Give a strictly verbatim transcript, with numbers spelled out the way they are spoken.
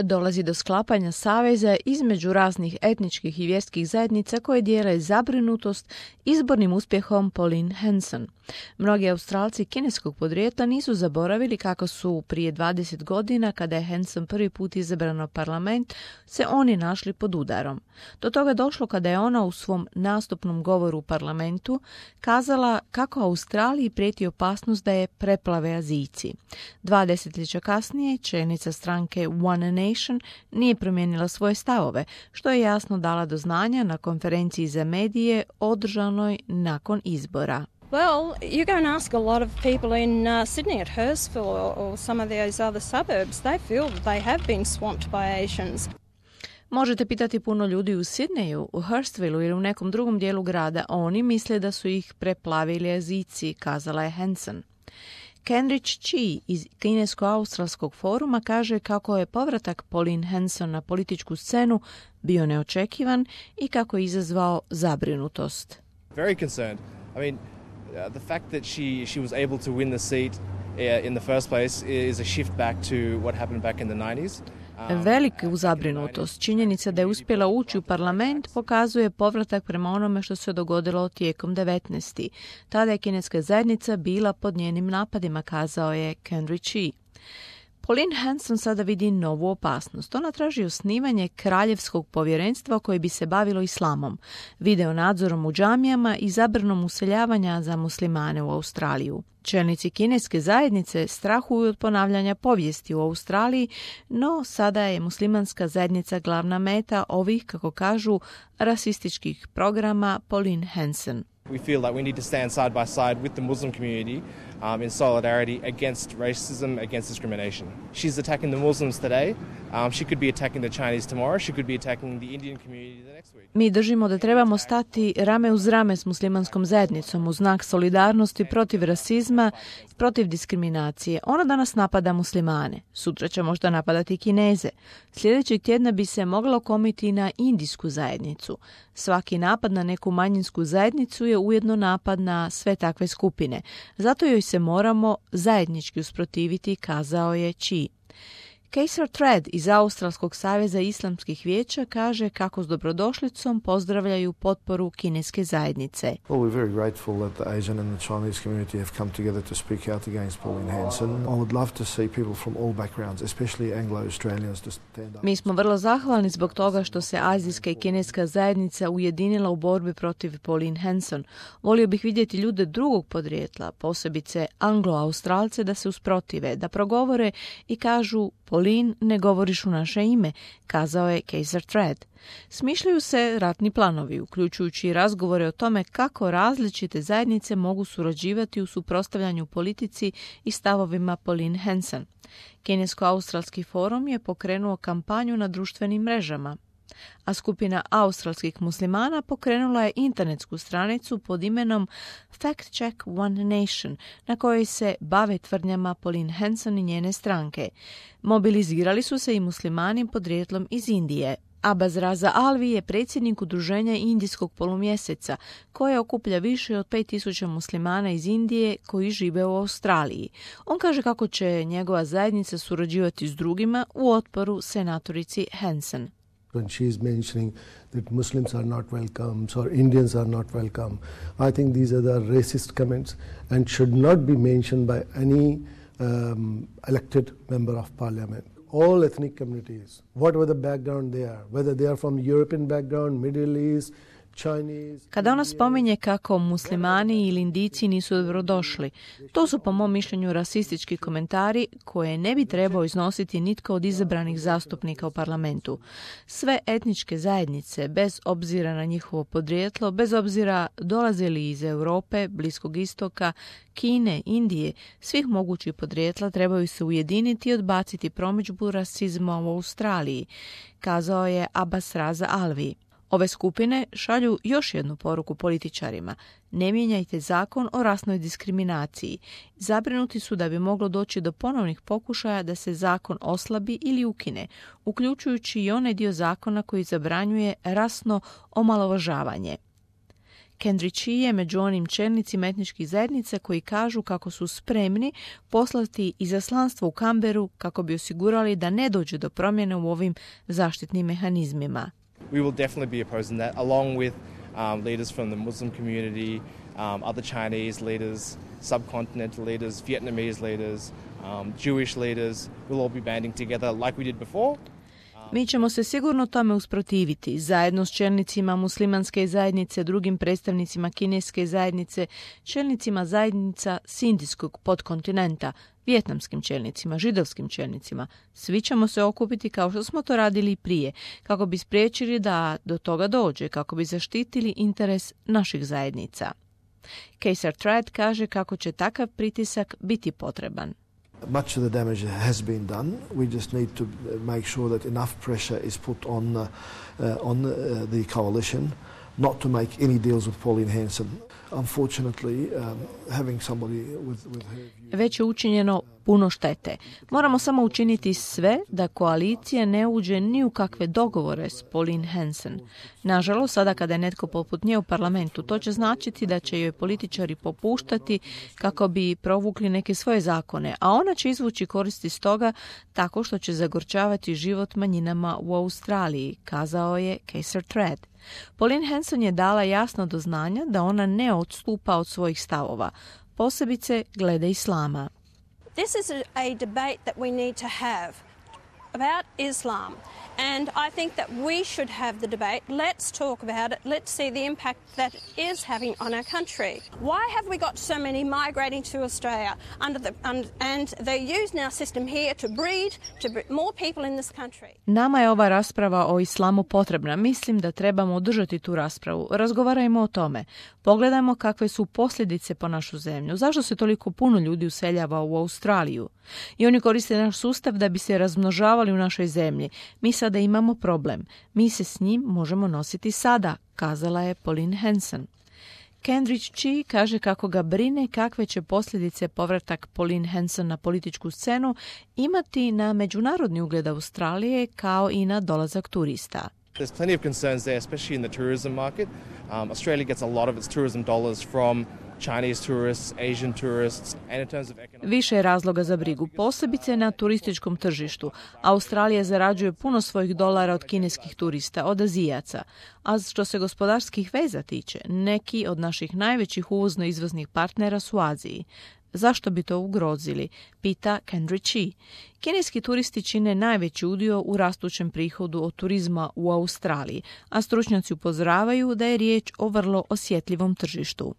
Dolazi do sklapanja saveza između raznih etničkih i vjerskih zajednica koje dijele zabrinutost izbornim uspjehom Pauline Hanson. Mnogi Australci kineskog podrijetla nisu zaboravili kako su prije dvadeset godina, kada je Hanson prvi put izabrana u parlament, se oni našli pod udarom. Do toga došlo kada je ona u svom nastupnom govoru u parlamentu kazala kako Australiji prijeti opasnost da je preplave Azijci. Dva desetljeća kasnije čelnica stranke One Nation nije promijenila svoje stavove, što je jasno dala do znanja na konferenciji za medije održanoj nakon izbora. Well, you go and ask a lot of people in uh, Sydney at Hurstville or, or some of those other suburbs. They feel that they have been swamped by Asians. Možete pitati puno ljudi u Sidneju, u Hurstvilleu ili u nekom drugom dijelu grada. Oni misle da su ih preplavili Azijci, kazala je Hanson. Kendrick Chi iz Kinesko-australskog foruma kaže kako je povratak Pauline Hanson na političku scenu bio neočekivan i kako je izazvao zabrinutost. Very concerned. I mean, uh, the fact that she she was able to win the seat uh, in the first place is a shift back to what happened back in the nineties. Veliku zabrinutost. Činjenica da je uspjela ući u parlament pokazuje povratak prema onome što se dogodilo tijekom devetnaestih. Tada je kineska zajednica bila pod njenim napadima, kazao je Kendrick Chi. Pauline Hanson sada vidi novu opasnost. Ona traži osnivanje kraljevskog povjerenstva koje bi se bavilo islamom, video nadzorom u džamijama i zabranom useljavanja za muslimane u Australiju. Čelnici kineske zajednice strahuju od ponavljanja povijesti u Australiji, no sada je muslimanska zajednica glavna meta ovih, kako kažu, rasističkih programa Pauline Hanson. We feel that we need to stand side by side with the Muslim community um, in solidarity against racism, against discrimination. She's attacking the Muslims today. Um, she could be attacking the Chinese tomorrow. She could be attacking the Indian community the next week. Mi držimo da trebamo stati rame uz rame s muslimanskom zajednicom u znak solidarnosti protiv rasizma i protiv diskriminacije. Ona danas napada muslimane. Sutra će možda napadati Kineze. Sljedećeg tjedna bi se moglo komiti na indijsku zajednicu. Svaki napad na neku manjinsku zajednicu je ujedno napad na sve takve skupine. Zato joj se moramo zajednički usprotiviti, kazao je Chi. Kaiser Thread iz Australskog saveza islamskih vijeća kaže kako s dobrodošlicom pozdravljaju potporu kineske zajednice. Well, we're very grateful that the Asian and the Chinese community have come together to speak out against Pauline Hanson. I would love to see people from all backgrounds, especially Anglo-Australians, to stand up. Mi smo vrlo zahvalni zbog toga što se azijska i kineska zajednica ujedinila u borbi protiv Pauline Hanson. Volio bih vidjeti ljude drugog podrijetla, posebice Anglo-Australce, da se usprotive, da progovore i kažu: Pauline, ne govoriš u naše ime, kazao je Kaiser Thread. Smišljaju se ratni planovi, uključujući razgovore o tome kako različite zajednice mogu surađivati u suprotstavljanju politici i stavovima Pauline Hanson. Kinesko-australski forum je pokrenuo kampanju na društvenim mrežama, a skupina australskih muslimana pokrenula je internetsku stranicu pod imenom Fact Check One Nation, na kojoj se bave tvrdnjama Pauline Hanson i njene stranke. Mobilizirali su se i muslimani podrijetlom iz Indije. Abbas Raza Alvi je predsjednik udruženja Indijskog polumjeseca, koje okuplja više od pet tisuća muslimana iz Indije koji žive u Australiji. On kaže kako će njegova zajednica surađivati s drugima u otporu senatorici Hanson. When she is mentioning that Muslims are not welcome or Indians are not welcome, I think these are the racist comments and should not be mentioned by any um, elected member of parliament. All ethnic communities, whatever the background they are, whether they are from European background, Middle East, Kada ona spominje kako muslimani ili Indijci nisu dobrodošli, to su po mom mišljenju rasistički komentari koje ne bi trebao iznositi nitko od izabranih zastupnika u parlamentu. Sve etničke zajednice, bez obzira na njihovo podrijetlo, bez obzira dolaze li iz Europe, Bliskog istoka, Kine, Indije, svih mogućih podrijetla trebaju se ujediniti i odbaciti promidžbu rasizma u Australiji, kazao je Abbas Raza Alvi. Ove skupine šalju još jednu poruku političarima. Ne mijenjajte zakon o rasnoj diskriminaciji. Zabrinuti su da bi moglo doći do ponovnih pokušaja da se zakon oslabi ili ukine, uključujući i onaj dio zakona koji zabranjuje rasno omalovažavanje. Kendrick Chi je među onim čelnicima etničkih zajednica koji kažu kako su spremni poslati izaslanstvo u Canberru kako bi osigurali da ne dođe do promjene u ovim zaštitnim mehanizmima. We will definitely be opposing that, along with um, leaders from the Muslim community, um, other Chinese leaders, subcontinental leaders, Vietnamese leaders, um, Jewish leaders. We'll all be banding together like we did before. Mi ćemo se sigurno tome usprotiviti, zajedno s čelnicima muslimanske zajednice, drugim predstavnicima kineske zajednice, čelnicima zajednica s indijskog podkontinenta, vijetnamskim čelnicima, židovskim čelnicima. Svi ćemo se okupiti kao što smo to radili i prije, kako bi spriječili da do toga dođe, kako bi zaštitili interes naših zajednica. Kaiser Trad kaže kako će takav pritisak biti potreban. Much of the damage has been done. We just need to make sure that enough pressure is put on uh, uh, on uh, the coalition not to make any deals with Pauline Hanson. Unfortunately, um, having somebody with, with her view... Već je učinjeno puno štete. Moramo samo učiniti sve da koalicija ne uđe ni u kakve dogovore s Pauline Hanson. Nažalost, sada kada je netko poput nje u parlamentu, to će značiti da će joj političari popuštati kako bi provukli neke svoje zakone, a ona će izvući koristi iz toga tako što će zagorčavati život manjinama u Australiji, kazao je Kaiser Trad. Pauline Hanson je dala jasno do znanja da ona ne odstupa od svojih stavova, posebice glede islama. This is a, a debate that we need to have about Islam. And I think that we should have the debate. Let's talk about it. Let's see the impact that it is having on our country. Why have we got so many migrating to Australia under the and, and they use our system here to breed to breed more people in this country? Nama je ova rasprava o islamu potrebna. Mislim da trebamo održati tu raspravu. Razgovarajmo o tome. Pogledajmo kakve su posljedice po našu zemlju. Zašto se toliko puno ljudi useljava u Australiju? I oni koriste naš sustav da bi se razmnožavali u našoj zemlji. Mi sada imamo problem. Mi se s njim možemo nositi sada, kazala je Pauline Hanson. Kendrick Chi kaže kako ga brine kakve će posljedice povratak Pauline Hanson na političku scenu imati na međunarodni ugled Australije kao i na dolazak turista. There's plenty of concerns there, especially in the tourism market. Um, Australia gets a lot of its tourism dollars from Chinese tourists, Asian tourists, and in terms of economic... Više je razloga za brigu, posebice na turističkom tržištu. Australija zarađuje puno svojih dolara od kineskih turista, od Azijaca. A što se gospodarskih veza tiče, neki od naših najvećih uvozno-izvoznih partnera su u Aziji. Zašto bi to ugrozili? Pita Kendrick Chi. Kineski turisti čine najveći udio u rastućem prihodu od turizma u Australiji, a stručnjaci upozoravaju da je riječ o vrlo osjetljivom tržištu.